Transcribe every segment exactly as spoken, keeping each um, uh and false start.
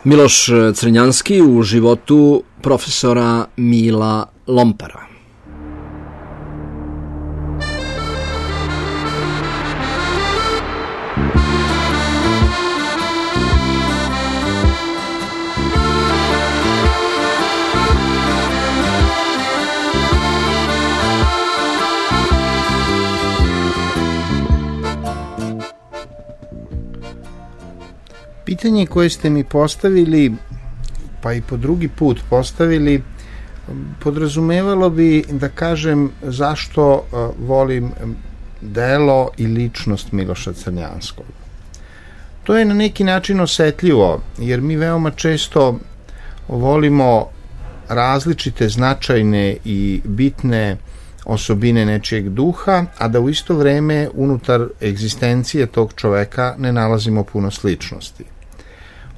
Miloš Crnjanski u životu profesora Mila Lompara. Pitanje koje ste mi postavili, pa i po drugi put postavili, podrazumevalo bi da kažem zašto volim delo i ličnost Miloša Crnjanskog. To je na neki način osetljivo, jer mi veoma često volimo različite značajne i bitne osobine nečijeg duha, a da u isto vreme unutar egzistencije tog čoveka ne nalazimo puno sličnosti.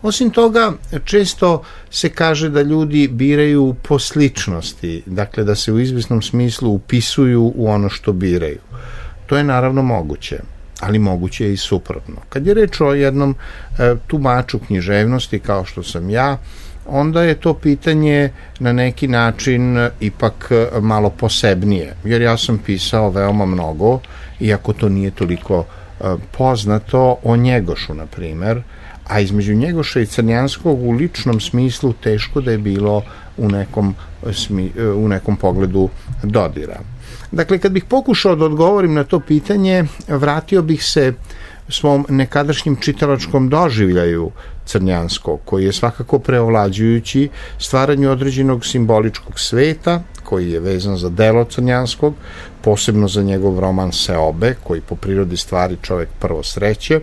Osim toga, često se kaže da ljudi biraju po sličnosti, dakle da se u izvesnom smislu upisuju u ono što biraju. To je naravno moguće, ali moguće je i suprotno. Kad je reč o jednom e, tumaču književnosti kao što sam ja, onda je to pitanje na neki način ipak malo posebnije, jer ja sam pisao veoma mnogo, iako to nije toliko e, poznato, o Njegošu, na primer, a između Njegoša i Crnjanskog u ličnom smislu teško da je bilo u nekom, smi, u nekom pogledu dodira. Dakle, kad bih pokušao da odgovorim na to pitanje, vratio bih se svom nekadašnjem čitalačkom doživljaju Crnjanskog, koji je svakako preovlađujući stvaranju određenog simboličkog sveta, koji je vezan za delo Crnjanskog, posebno za njegov roman Seobe, koji po prirodi stvari čovek prvo sreće,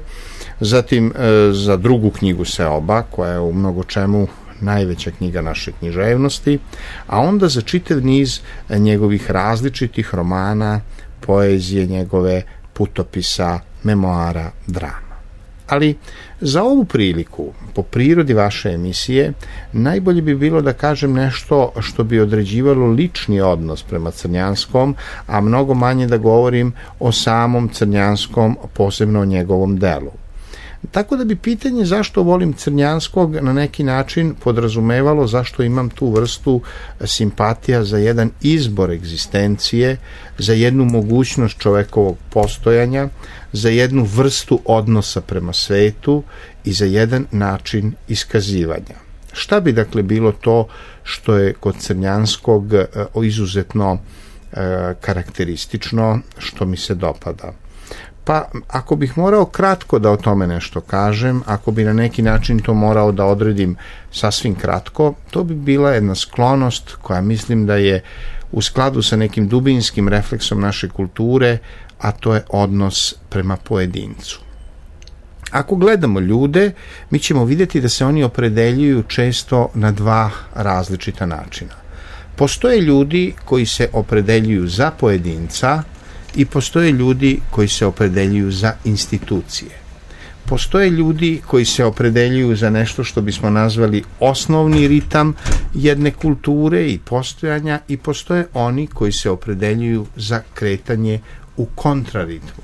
zatim e, za drugu knjigu Seoba, koja je u mnogo čemu najveća knjiga naše književnosti, a onda za čitav niz njegovih različitih romana, poezije njegove, putopisa, memoara, drama. Ali za ovu priliku, po prirodi vaše emisije, najbolje bi bilo da kažem nešto što bi određivalo lični odnos prema Crnjanskom, a mnogo manje da govorim o samom Crnjanskom, posebno o njegovom delu. Tako da bi pitanje zašto volim Crnjanskog na neki način podrazumevalo zašto imam tu vrstu simpatija za jedan izbor egzistencije, za jednu mogućnost čovekovog postojanja, za jednu vrstu odnosa prema svetu i za jedan način iskazivanja. Šta bi dakle bilo to što je kod Crnjanskog izuzetno karakteristično, što mi se dopada? Pa, ako bih morao kratko da o tome nešto kažem, ako bi na neki način to morao da odredim sasvim kratko, to bi bila jedna sklonost koja mislim da je u skladu sa nekim dubinskim refleksom naše kulture, a to je odnos prema pojedincu. Ako gledamo ljude, mi ćemo vidjeti da se oni opredeljuju često na dva različita načina. Postoje ljudi koji se opredeljuju za pojedinca, i postoje ljudi koji se opredeljuju za institucije. Postoje ljudi koji se opredeljuju za nešto što bismo nazvali osnovni ritam jedne kulture i postojanja, i postoje oni koji se opredeljuju za kretanje u kontraritmu.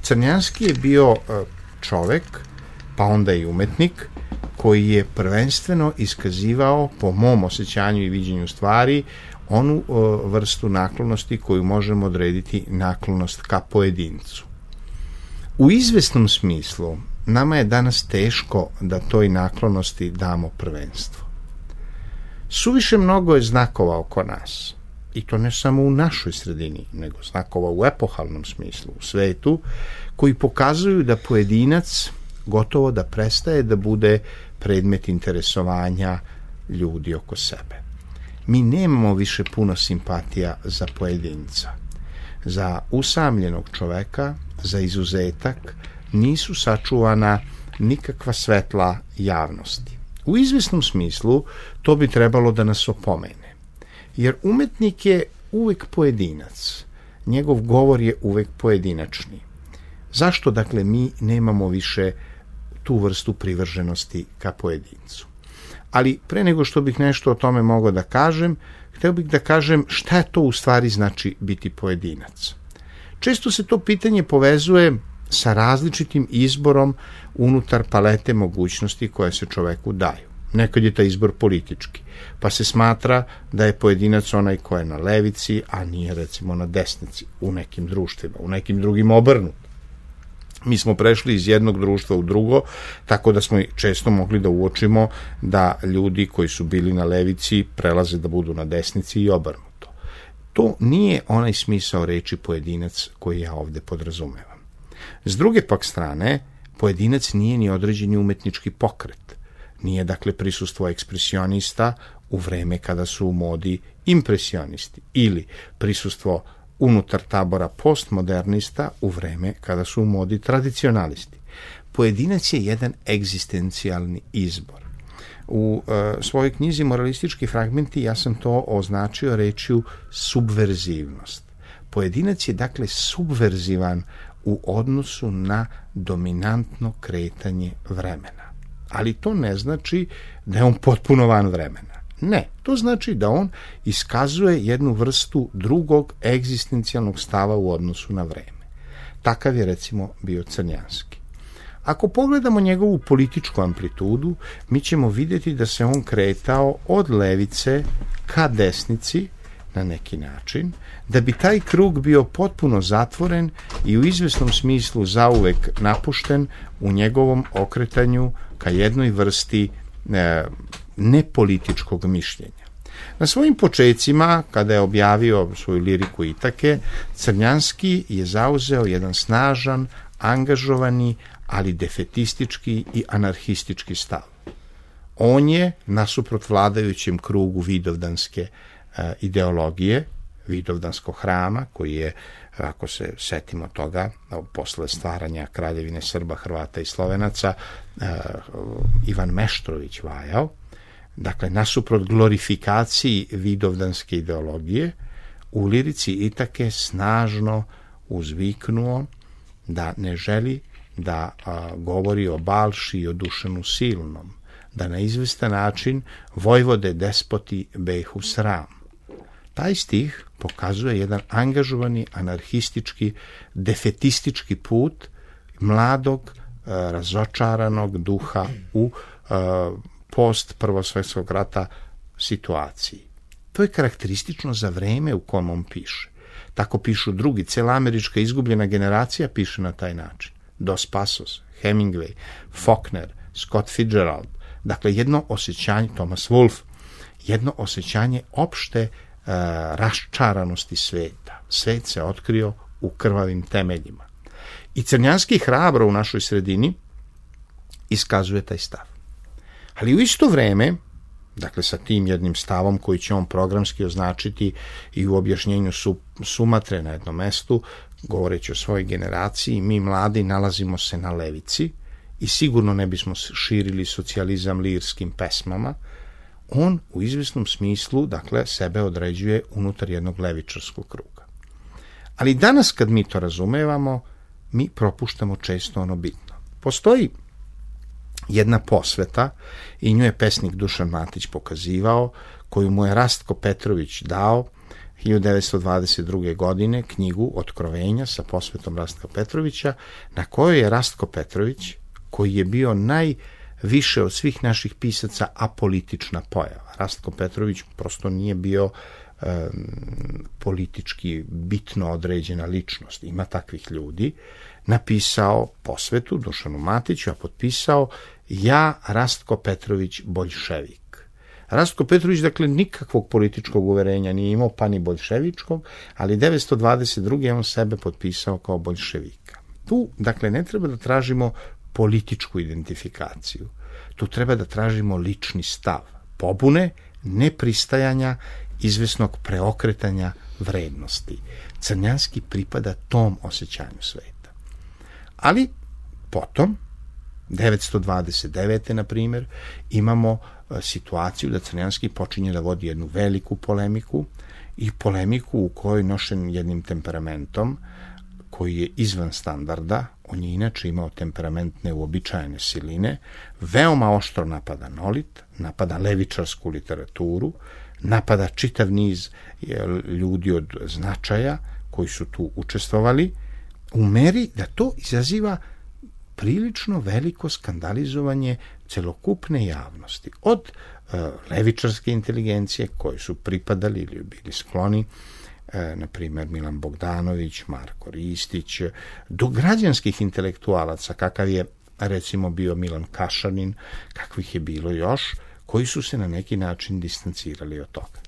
Crnjanski je bio čovek, pa onda i umetnik, koji je prvenstveno iskazivao, po mom osjećanju i viđenju stvari, onu o, vrstu naklonosti koju možemo odrediti naklonost ka pojedincu. U izvesnom smislu nama je danas teško da toj naklonosti damo prvenstvo. Suviše mnogo je znakova oko nas, i to ne samo u našoj sredini, nego znakova u epohalnom smislu, u svetu, koji pokazuju da pojedinac gotovo da prestaje da bude predmet interesovanja ljudi oko sebe. Mi nemamo više puno simpatija za pojedinca. Za usamljenog čoveka, za izuzetak, nisu sačuvana nikakva svetla javnosti. U izvesnom smislu to bi trebalo da nas opomene. Jer umetnik je uvek pojedinac. Njegov govor je uvek pojedinačni. Zašto, dakle, mi nemamo više tu vrstu privrženosti ka pojedincu? Ali pre nego što bih nešto o tome mogao da kažem, hteo bih da kažem šta je to u stvari znači biti pojedinac. Često se to pitanje povezuje sa različitim izborom unutar palete mogućnosti koje se čoveku daju. Nekad je taj izbor politički, pa se smatra da je pojedinac onaj ko je na levici, a nije recimo na desnici u nekim društvima, u nekim drugim obrnuto. Mi smo prešli iz jednog društva u drugo, tako da smo često mogli da uočimo da ljudi koji su bili na levici prelaze da budu na desnici i obrnuto. To nije onaj smisao reči pojedinac koji ja ovde podrazumevam. S druge pak strane, pojedinac nije ni određeni umetnički pokret. Nije dakle prisustvo ekspresionista u vreme kada su u modi impresionisti ili prisustvo unutar tabora postmodernista u vreme kada su u modi tradicionalisti. Pojedinac je jedan egzistencijalni izbor. U e, svojoj knjizi Moralistički fragmenti ja sam to označio rečju subverzivnost. Pojedinac je dakle subverzivan u odnosu na dominantno kretanje vremena. Ali to ne znači da je on potpuno van vremena. Ne, to znači da on iskazuje jednu vrstu drugog egzistencijalnog stava u odnosu na vreme. Takav je recimo bio Crnjanski. Ako pogledamo njegovu političku amplitudu, mi ćemo vidjeti da se on kretao od levice ka desnici na neki način, da bi taj krug bio potpuno zatvoren i u izvesnom smislu zauvek napušten u njegovom okretanju ka jednoj vrsti e, nepolitičkog mišljenja. Na svojim počecima, kada je objavio svoju liriku Itake, Crnjanski je zauzeo jedan snažan, angažovani, ali defetistički i anarhistički stav. On je, nasuprot vladajućem krugu vidovdanske e, ideologije, vidovdanskog hrama, koji je, ako se setimo toga, posle stvaranja Kraljevine Srba, Hrvata i Slovenaca, e, Ivan Meštrović vajao, dakle, nasuprot glorifikaciji vidovdanske ideologije, u lirici Itake snažno uzviknuo da ne želi da a, govori o Balši i o Dušanu Silnom, da na izvestan način vojvode despoti behu sram. Taj stih pokazuje jedan angažovani, anarhistički, defetistički put mladog, a, razočaranog duha u a, post Prvosvetskog rata situaciji. To je karakteristično za vreme u kom on piše. Tako pišu drugi. Cela američka izgubljena generacija piše na taj način. Dos Passos, Hemingway, Faulkner, Scott Fitzgerald. Dakle, jedno osjećanje, Thomas Wolfe, jedno osjećanje opšte e, raščaranosti sveta. Svet se otkrio u krvavim temeljima. I Crnjanski hrabro u našoj sredini iskazuje taj stav. Ali u isto vreme, dakle sa tim jednim stavom koji će on programski označiti i u objašnjenju su, Sumatre na jednom mestu, govoreći o svojoj generaciji, mi mladi nalazimo se na levici i sigurno ne bismo širili socijalizam lirskim pesmama, on u izvesnom smislu, dakle, sebe određuje unutar jednog levičarskog kruga. Ali danas kad mi to razumevamo, mi propuštamo često ono bitno. Postoji jedna posveta, i nju je pesnik Dušan Matić pokazivao, koju mu je Rastko Petrović dao hiljadu devetsto dvadeset druge. godine, knjigu Otkrovenja sa posvetom Rastka Petrovića, na kojoj je Rastko Petrović, koji je bio najviše od svih naših pisaca apolitična pojava. Rastko Petrović prosto nije bio e, politički bitno određena ličnost. Ima takvih ljudi. Napisao posvetu Dušanu Matiću, a potpisao ja, Rastko Petrović, boljševik. Rastko Petrović, dakle, nikakvog političkog uverenja nije imao, pa ni boljševičkog, ali devetsto dvadeset druge. on sebe potpisao kao boljševika. Tu, dakle, ne treba da tražimo političku identifikaciju. Tu treba da tražimo lični stav, pobune, nepristajanja, izvesnog preokretanja vrednosti. Crnjanski pripada tom osjećanju sveta. Ali potom, devetsto dvadeset devete. na primjer, imamo situaciju da Crnjanski počinje da vodi jednu veliku polemiku i polemiku u kojoj nošen jednim temperamentom koji je izvan standarda, on je inače imao temperament neuobičajene siline, veoma oštro napada Nolit, napada levičarsku literaturu, napada čitav niz ljudi od značaja koji su tu učestvovali. u meri da to izaziva prilično veliko skandalizovanje celokupne javnosti. Od uh, levičarske inteligencije koji su pripadali ili bili skloni, uh, na primjer Milan Bogdanović, Marko Ristić, do građanskih intelektualaca, kakav je recimo bio Milan Kašanin, kakvih je bilo još, koji su se na neki način distancirali od toga.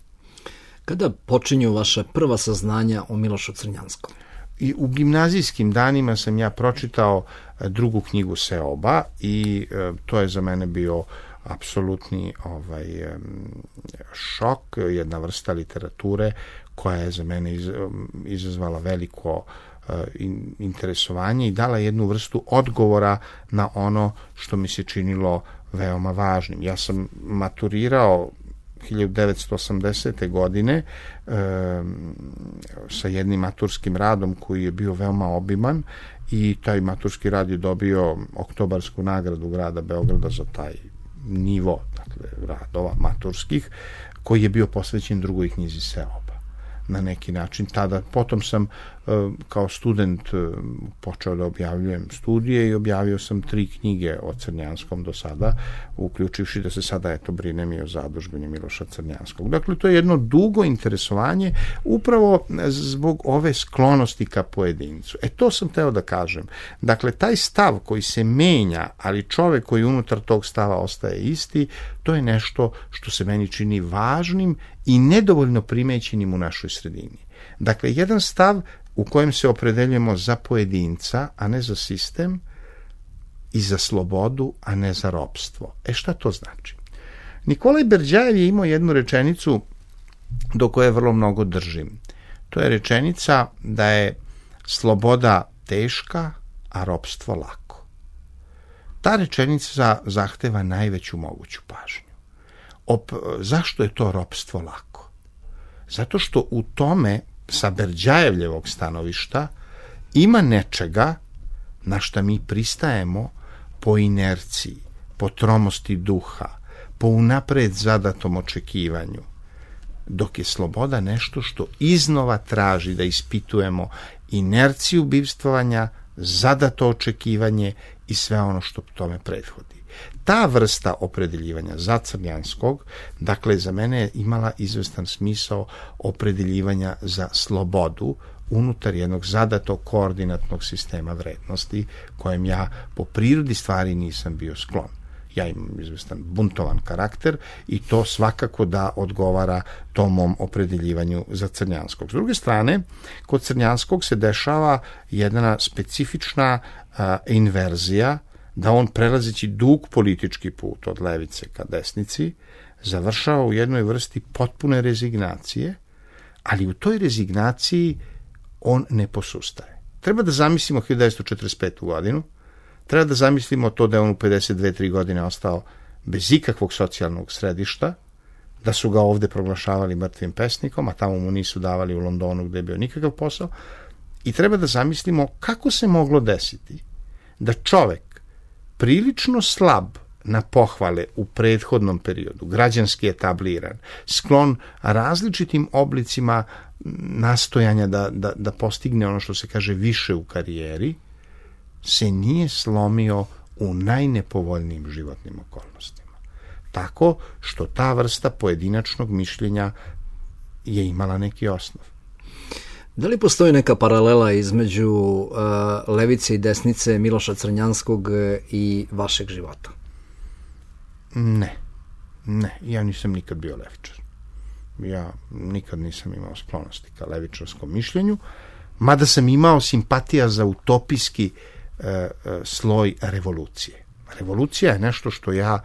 Kada počinju vaše prva saznanja o Milošu Crnjanskom? I u gimnazijskim danima sam ja pročitao drugu knjigu Seoba i e, to je za mene bio apsolutni ovaj, e, šok, jedna vrsta literature koja je za mene iz, izazvala veliko e, in, interesovanje i dala jednu vrstu odgovora na ono što mi se činilo veoma važnim. Ja sam maturirao hiljadu devetsto osamdesete godine e, sa jednim maturskim radom koji je bio veoma obiman i taj maturski rad je dobio oktobarsku nagradu grada Beograda za taj nivo, dakle, radova maturskih, koji je bio posvećen drugoj knjizi Seoba. Na neki način tada, potom sam kao student počeo da objavljujem studije i objavio sam tri knjige o Crnjanskom do sada, uključivši da se sada eto brinem i o zadužbini Miloša Crnjanskog. Dakle, to je jedno dugo interesovanje upravo zbog ove sklonosti ka pojedincu. E, to sam teo da kažem. Dakle, taj stav koji se menja, ali čovek koji unutar tog stava ostaje isti, to je nešto što se meni čini važnim i nedovoljno primećenim u našoj sredini. Dakle, jedan stav u kojem se opredeljujemo za pojedinca, a ne za sistem, i za slobodu, a ne za ropstvo. E, šta to znači? Nikolaj Berdjajev je imao jednu rečenicu do koje vrlo mnogo držim. To je rečenica da je sloboda teška, a ropstvo lako. Ta rečenica zahteva najveću moguću pažnju. Op, zašto je to ropstvo lako? Zato što u tome, sa Berdjajevljevog stanovišta, ima nečega na šta mi pristajemo po inerciji, po tromosti duha, po unapred zadatom očekivanju, dok je sloboda nešto što iznova traži da ispitujemo inerciju bivstvovanja, zadato očekivanje i sve ono što tome prethodi. Ta vrsta opredeljivanja za Crnjanskog, dakle, za mene je imala izvestan smisao opredeljivanja za slobodu unutar jednog zadatog koordinatnog sistema vrednosti kojem ja po prirodi stvari nisam bio sklon. Ja imam izvestan buntovan karakter i to svakako da odgovara tom mom opredeljivanju za Crnjanskog. S druge strane, kod Crnjanskog se dešava jedna specifična a, inverzija, da on, prelazeći dug politički put od levice ka desnici, završava u jednoj vrsti potpune rezignacije, ali u toj rezignaciji on ne posustaje. Treba da zamislimo hiljadu devetsto četrdeset petu godinu, treba da zamislimo to da je on u pedeset dve tri godine ostao bez ikakvog socijalnog središta, da su ga ovde proglašavali mrtvim pesnikom, a tamo mu nisu davali u Londonu gde je bio nikakav posao, i treba da zamislimo kako se moglo desiti da čovek prilično slab na pohvale u prethodnom periodu, građanski etabliran, sklon različitim oblicima nastojanja da, da, da postigne ono što se kaže više u karijeri, se nije slomio u najnepovoljnijim životnim okolnostima. Tako što ta vrsta pojedinačnog mišljenja je imala neki osnov. Da li postoji neka paralela između uh, levice i desnice Miloša Crnjanskog i vašeg života? Ne. Ne. Ja nisam nikad bio levičar. Ja nikad nisam imao sklonosti ka levičarskom mišljenju, mada sam imao simpatija za utopijski uh, uh, sloj revolucije. Revolucija je nešto što ja,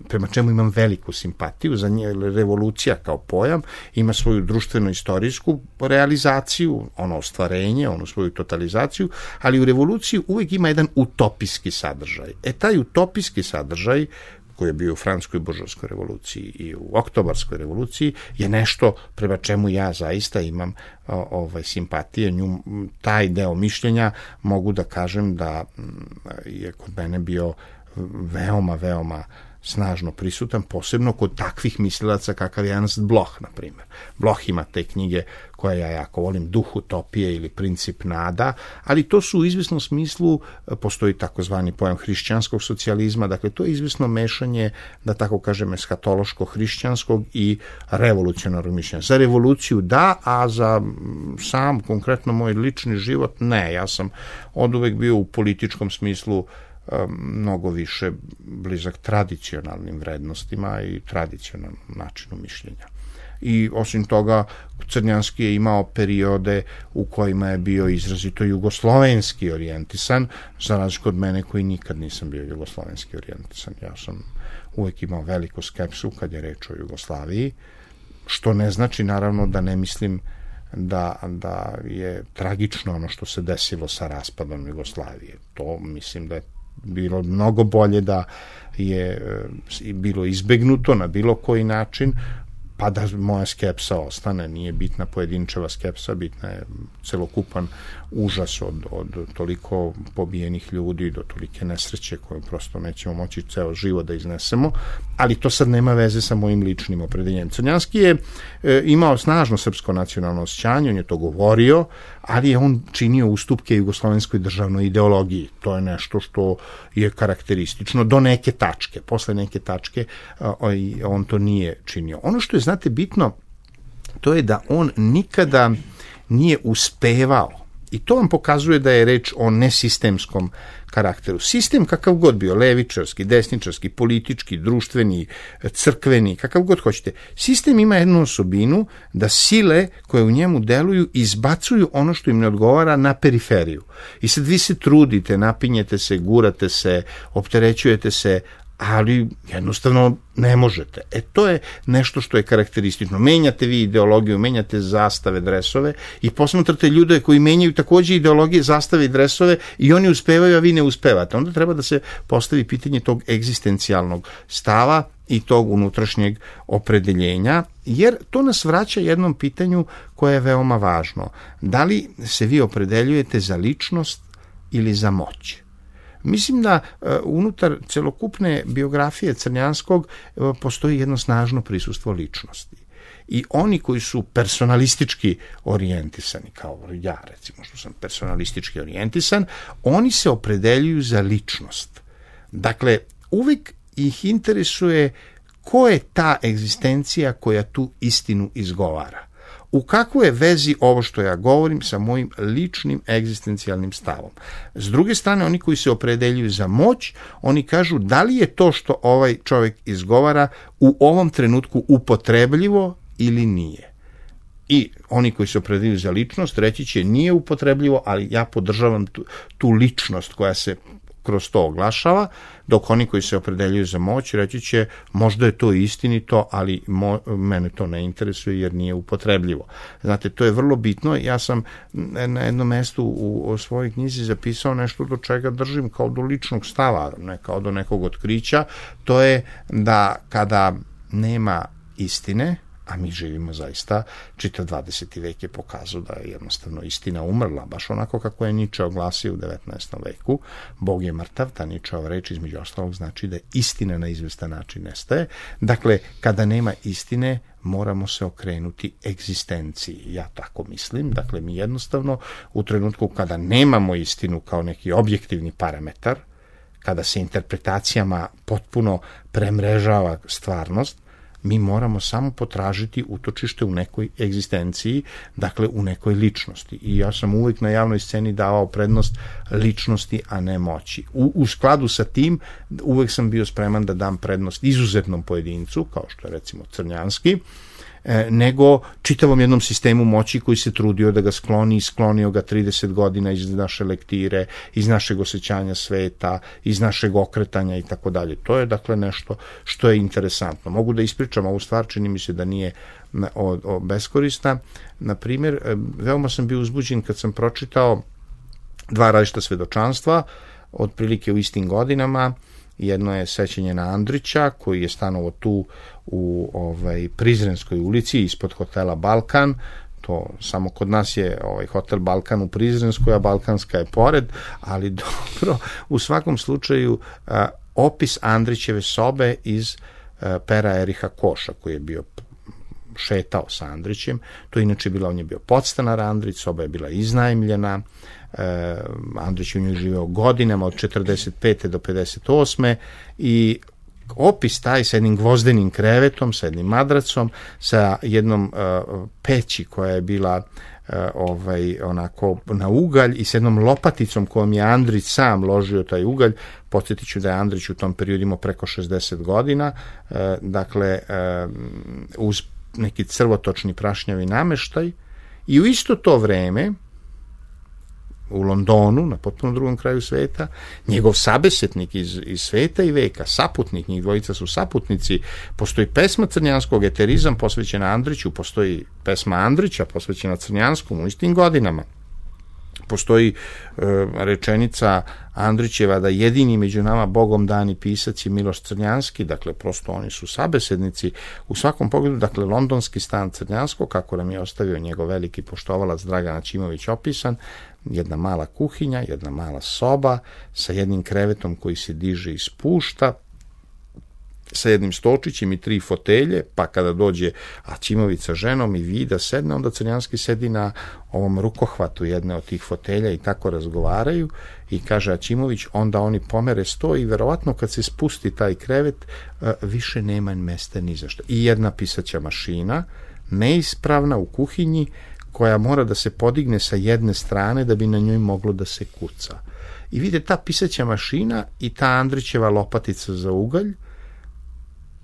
prema čemu imam veliku simpatiju, za nje revolucija kao pojam ima svoju društveno-istorijsku realizaciju, ono ostvarenje, onu svoju totalizaciju, ali u revoluciji uvijek ima jedan utopijski sadržaj. E taj utopijski sadržaj, koji je bio u Francuskoj buržovskoj revoluciji i u Oktobarskoj revoluciji, je nešto prema čemu ja zaista imam o, ovaj, simpatije. Nju, taj deo mišljenja mogu da kažem da je kod mene bio veoma, veoma snažno prisutan, posebno kod takvih mislilaca kakav je Ernst Bloch, na primjer. Bloch ima te knjige koje ja jako volim, Duh utopije ili Princip nada, ali to su u izvesnom smislu, postoji takozvani pojam hrišćanskog socijalizma, dakle to je izvesno mešanje, da tako kažem, eskatološko-hrišćanskog i revolucionarnog mišljenja. Za revoluciju da, a za sam, konkretno moj lični život, ne. Ja sam oduvek bio u političkom smislu mnogo više blizak tradicionalnim vrednostima i tradicionalnom načinu mišljenja. I osim toga, Crnjanski je imao periode u kojima je bio izrazito jugoslovenski orijentisan, za razliku od mene koji nikad nisam bio jugoslovenski orijentisan. Ja sam uvek imao veliku skepsu kad je reč o Jugoslaviji, što ne znači naravno da ne mislim da, da je tragično ono što se desilo sa raspadom Jugoslavije. To mislim da je bilo mnogo bolje da je bilo izbegnuto na bilo koji način, pa da moja skepsa ostane. Nije bitna pojedinčeva skepsa, bitna je celokupan užas od, od toliko pobijenih ljudi do tolike nesreće koju prosto nećemo moći ceo život da iznesemo, ali to sad nema veze sa mojim ličnim opredeljenjem. Crnjanski je e, imao snažno srpsko nacionalno osjećanje, on je to govorio, ali je on činio ustupke jugoslovenskoj državnoj ideologiji. To je nešto što je karakteristično do neke tačke. Posle neke tačke a, on to nije činio. Ono što je, znate, bitno, to je da on nikada nije uspevao, i to vam pokazuje da je reč o nesistemskom karakteru. Sistem kakav god bio, levičarski, desničarski, politički, društveni, crkveni, kakav god hoćete, sistem ima jednu osobinu da sile koje u njemu deluju izbacuju ono što im ne odgovara na periferiju. I sad vi se trudite, napinjete se, gurate se, opterećujete se, ali jednostavno ne možete. E to je nešto što je karakteristično. Menjate vi ideologiju, menjate zastave, dresove i posmatrate ljude koji menjaju takođe ideologije, zastave i dresove i oni uspevaju, a vi ne uspevate. Onda treba da se postavi pitanje tog egzistencijalnog stava i tog unutrašnjeg opredeljenja, jer to nas vraća jednom pitanju koje je veoma važno. Da li se vi opredeljujete za ličnost ili za moć? Mislim da uh, unutar celokupne biografije Crnjanskog uh, postoji jedno snažno prisustvo ličnosti. I oni koji su personalistički orijentisani, kao ja recimo što sam personalistički orijentisan, oni se opredeljuju za ličnost. Dakle, uvijek ih interesuje ko je ta egzistencija koja tu istinu izgovara. U kakvoj je vezi ovo što ja govorim sa mojim ličnim egzistencijalnim stavom. S druge strane, oni koji se opredeljuju za moć, oni kažu da li je to što ovaj čovjek izgovara u ovom trenutku upotrebljivo ili nije. I oni koji se opredeljuju za ličnost reći će nije upotrebljivo, ali ja podržavam tu, tu ličnost koja se kroz to oglašava, dok oni koji se opredeljuju za moć reći će možda je to istinito, ali mo, mene to ne interesuje jer nije upotrebljivo. Znate, to je vrlo bitno. Ja sam na jednom mestu u, u svojoj knjizi zapisao nešto do čega držim kao do ličnog stava, ne kao do nekog otkrića. To je da kada nema istine, a mi živimo zaista, čitav dvadeseti vek je pokazao da je jednostavno istina umrla, baš onako kako je Niče oglasio u devetnaestom veku. Bog je mrtav, ta Ničeova reč između ostalog znači da istina na izvestan način nestaje. Dakle, kada nema istine, moramo se okrenuti egzistenciji. Ja tako mislim. Dakle, mi jednostavno u trenutku kada nemamo istinu kao neki objektivni parametar, kada se interpretacijama potpuno premrežava stvarnost, mi moramo samo potražiti utočište u nekoj egzistenciji, dakle u nekoj ličnosti. I ja sam uvijek na javnoj sceni davao prednost ličnosti, a ne moći. U, u skladu sa tim, uvijek sam bio spreman da dam prednost izuzetnom pojedincu, kao što je recimo Crnjanski, nego čitavom jednom sistemu moći koji se trudio da ga skloni i sklonio ga trideset godina iz naše lektire, iz našeg osjećanja sveta, iz našeg okretanja i tako dalje. To je dakle nešto što je interesantno. Mogu da ispričam ovu stvar, čini mi se da nije o, o beskorisna. Na primjer, veoma sam bio uzbuđen kad sam pročitao dva različita svedočanstva, otprilike u istim godinama. Jedno je sećanje na Andrića, koji je stanovao tu u ovaj, Prizrenskoj ulici, ispod hotela Balkan. To samo kod nas je ovaj, hotel Balkan u Prizrenskoj, a Balkanska je pored, ali dobro, u svakom slučaju a, opis Andrićeve sobe iz uh, pera Eriha Koša, koji je bio šetao sa Andrićem. To je inače bila, on je bio podstanar Andrić, soba je bila iznajmljena, e, Andrić je u njoj živeo godinama od četrdeset pete do pedeset osme i opis taj sa jednim gvozdenim krevetom, sa jednim madracom, sa jednom e, peći koja je bila e, ovaj, onako na ugalj i s jednom lopaticom kojom je Andrić sam ložio taj ugalj. Podsjetit ću da je Andrić u tom periodu imao preko šezdeset godina, e, dakle e, uz neki crvotočni prašnjavi nameštaj, i u isto to vreme u Londonu, na potpuno drugom kraju sveta, njegov sabesetnik iz, iz sveta i veka, saputnik, njih dvojica su saputnici, postoji pesma Crnjanskog, Eterizam, posvećena Andriću, postoji pesma Andrića posvećena Crnjanskom u istim godinama. Postoji e, rečenica Andrićeva da jedini među nama Bogom dani pisac je Miloš Crnjanski, dakle prosto oni su sabesednici u svakom pogledu. Dakle, londonski stan Crnjanskog, kako nam je ostavio njegov veliki poštovalac Dragan Aćimović opisan, jedna mala kuhinja, jedna mala soba sa jednim krevetom koji se diže i spušta, sa jednim stolčićem i tri fotelje, pa kada dođe Aćimović sa ženom i Vida sedne, onda Crnjanski sedi na ovom rukohvatu jedne od tih fotelja i tako razgovaraju, i kaže Aćimović, onda oni pomere sto i verovatno kad se spusti taj krevet više nema mesta ni za što. I jedna pisaća mašina, neispravna u kuhinji, koja mora da se podigne sa jedne strane da bi na njoj moglo da se kuca. I vidite, ta pisaća mašina i ta Andrićeva lopatica za ugalj,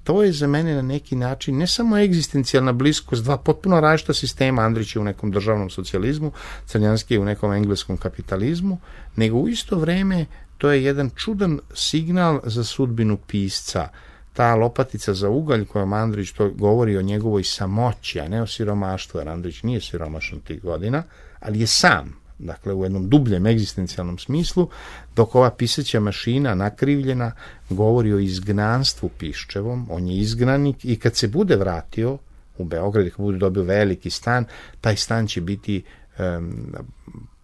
to je za mene na neki način ne samo egzistencijalna bliskost dva potpuno različita sistema, Andrić je u nekom državnom socijalizmu, Crnjanski je u nekom engleskom kapitalizmu, nego u isto vreme to je jedan čudan signal za sudbinu pisca. Ta lopatica za ugalj kojom Andrić to govori o njegovoj samoći, a ne o siromaštvu, jer Andrić nije siromašan tih godina, ali je sam, dakle u jednom dubljem egzistencijalnom smislu, dok ova pisaća mašina nakrivljena govori o izgnanstvu Piščevom. On je izgnanik i kad se bude vratio u Beograd, kad bude dobio veliki stan, taj stan će biti um,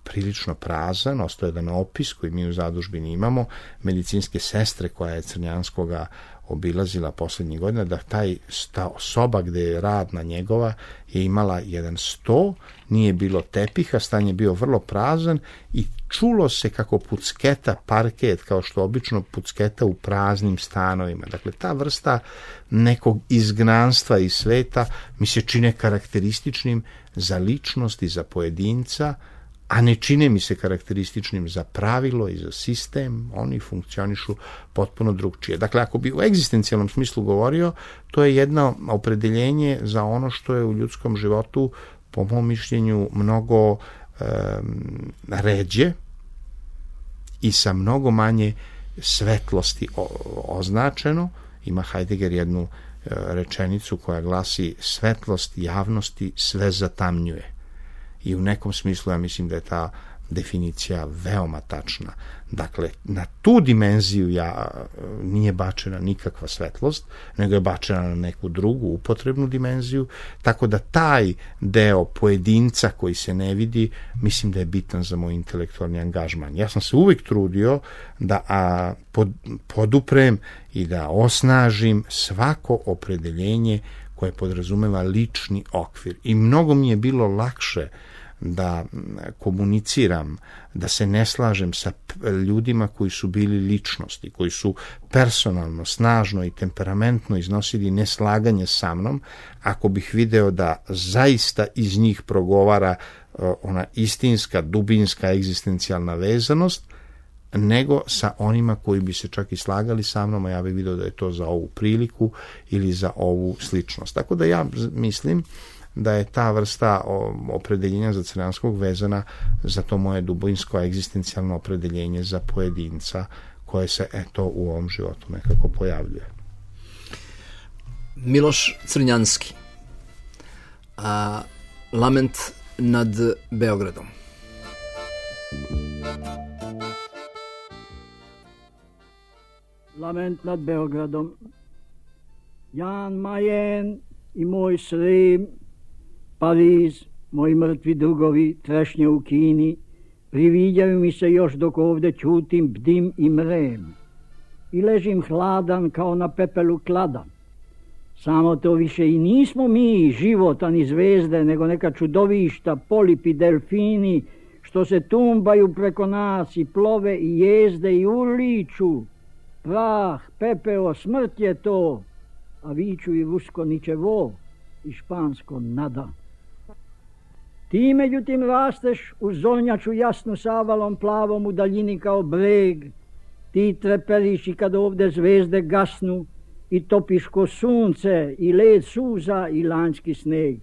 prilično prazan, ostao je jedan opis koji mi u zadužbini imamo, medicinske sestre koja je Crnjanskoga obilazila poslednjih godina, da taj sta, soba gde je radna njegova je imala jedan sto, nije bilo tepiha, stan je bio vrlo prazan i čulo se kako pucketa parket, kao što obično pucketa u praznim stanovima. Dakle, ta vrsta nekog izgnanstva iz sveta mi se čine karakterističnim za ličnost i za pojedinca, a ne čine mi se karakterističnim za pravilo i za sistem, oni funkcionišu potpuno drugčije. Dakle, ako bi u egzistencijalnom smislu govorio, to je jedno opredeljenje za ono što je u ljudskom životu, po mom mišljenju, mnogo um, ređe i sa mnogo manje svetlosti o, označeno. Ima Heidegger jednu uh, rečenicu koja glasi: svetlost javnosti sve zatamnjuje. I u nekom smislu ja mislim da je ta definicija veoma tačna. Dakle, na tu dimenziju ja, nije bačena nikakva svetlost, nego je bačena na neku drugu upotrebnu dimenziju, tako da taj deo pojedinca koji se ne vidi, mislim da je bitan za moj intelektualni angažman. Ja sam se uvijek trudio da a, pod, poduprem i da osnažim svako opredeljenje koje podrazumeva lični okvir. I mnogo mi je bilo lakše da komuniciram, da se ne slažem sa ljudima koji su bili ličnosti, koji su personalno, snažno i temperamentno iznosili neslaganje sa mnom, ako bih video da zaista iz njih progovara ona istinska, dubinska, egzistencijalna vezanost, nego sa onima koji bi se čak i slagali sa mnom, a ja bih video da je to za ovu priliku ili za ovu sličnost. Tako da ja mislim da je ta vrsta opredeljenja za Crnjanskog vezana za to moje dubinsko egzistencijalno opredeljenje za pojedinca koje se eto u ovom životu nekako pojavljuje. Miloš Crnjanski, a, Lament nad Beogradom. Lament nad Beogradom. Jan Mayen i moj Srim, Pariz, moji mrtvi drugovi, trešnje u Kini, priviđaju mi se još dok ovde ćutim, bdim i mrem. i ležim hladan kao na pepelu klada. Samo to više i nismo mi, život, ani zvezde, nego neka čudovišta, polipi, delfini, što se tumbaju preko nas i plove i jezde i uliču. Prah, pepeo, smrt je to, a viču i rusko ničevo i špansko nada. Ti međutim rasteš u zornjaču jasnu savalom plavom u daljini kao breg. Ti treperiš i kad ovde zvezde gasnu i topiš ko sunce i led suza i lanjski sneg.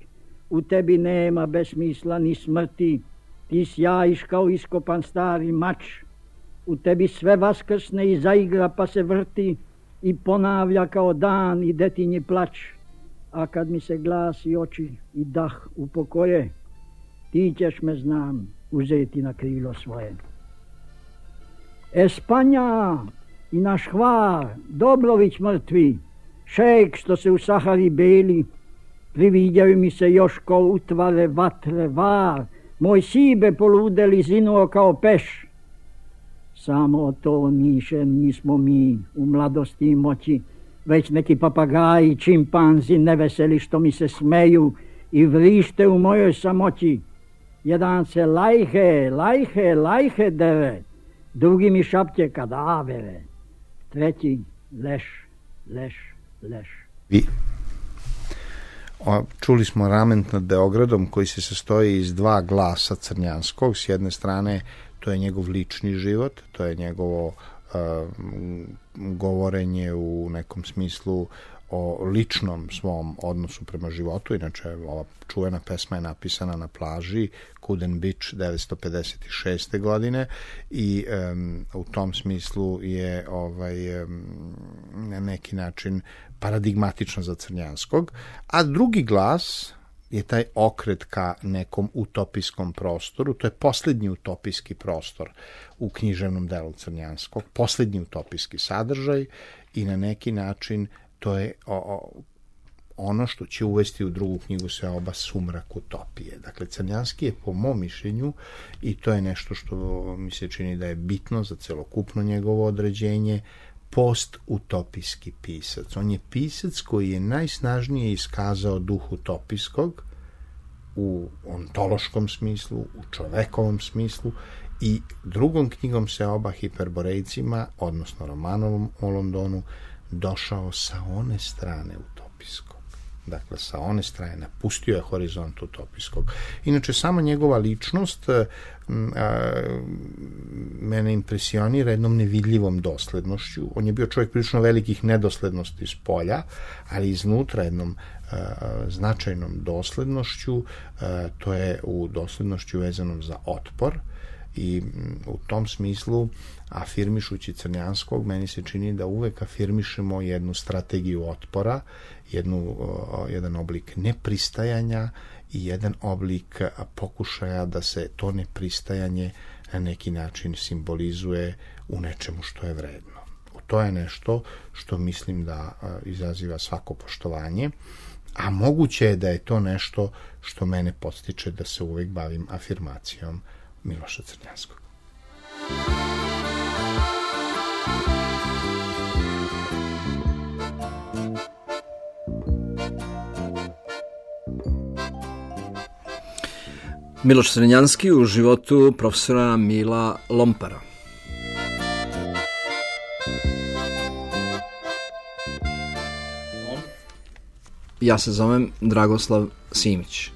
U tebi nema besmisla ni smrti, ti sjajiš kao iskopan stari mač. U tebi sve vaskrsne i zaigra pa se vrti i ponavlja kao dan i detinji plač. A kad mi se glas i oči i dah upokoje, ti ćeš me, znam, uzeti na krilo svoje. Espanja i naš Hvar, Dobrović mrtvi, šejk što se u Sahari beli, priviđaju mi se još ko utvare vatre var, moj sibe poludeli zinuo kao peš. Samo to niše nismo mi u mladosti i moći, već neki papagaji, čimpanzi neveseli što mi se smeju i vrište u mojoj samoći. Jedan se lajhe, lajhe, lajhe dere, drugi mi šapće kadavere, treći leš, leš, leš. Vi. O, čuli smo Rament nad Beogradom koji se sastoji iz dva glasa Crnjanskog. S jedne strane to je njegov lični život, to je njegovo uh, govorenje u nekom smislu o ličnom svom odnosu prema životu. Inače, ova čuvena pesma je napisana na plaži Kuden Beach devetsto pedeset šeste. godine i um, u tom smislu je ovaj, um, na neki način paradigmatično za Crnjanskog. A drugi glas je taj okret ka nekom utopijskom prostoru. To je posljednji utopijski prostor u književnom delu Crnjanskog, posljednji utopijski sadržaj i na neki način to je o, o, ono što će uvesti u drugu knjigu Seoba sumrak utopije. Dakle, Crnjanski je po mom mišljenju, i to je nešto što mi se čini da je bitno za celokupno njegovo određenje, post-utopijski pisac. On je pisac koji je najsnažnije iskazao duh utopijskog u ontološkom smislu, u čovekovom smislu, i drugom knjigom Seoba, Hiperborejcima, odnosno romanom o Londonu, došao sa one strane utopijskog. Dakle, sa one strane napustio je horizont utopijskog. Inače, sama njegova ličnost a, mene impresionira jednom nevidljivom doslednošću. On je bio čovjek prilično velikih nedoslednosti iz polja, ali iznutra jednom a, značajnom doslednošću, a, to je u doslednošću vezanom za otpor, i u tom smislu, afirmišući Crnjanskog, meni se čini da uvek afirmišemo jednu strategiju otpora, jednu, jedan oblik nepristajanja i jedan oblik pokušaja da se to nepristajanje na neki način simbolizuje u nečemu što je vredno. To je nešto što mislim da izaziva svako poštovanje, a moguće je da je to nešto što mene podstiče da se uvek bavim afirmacijom Miloša Crnjanskog. Miloš Crnjanski u životu profesora Mila Lompara. Ja se zovem Dragoslav Simić.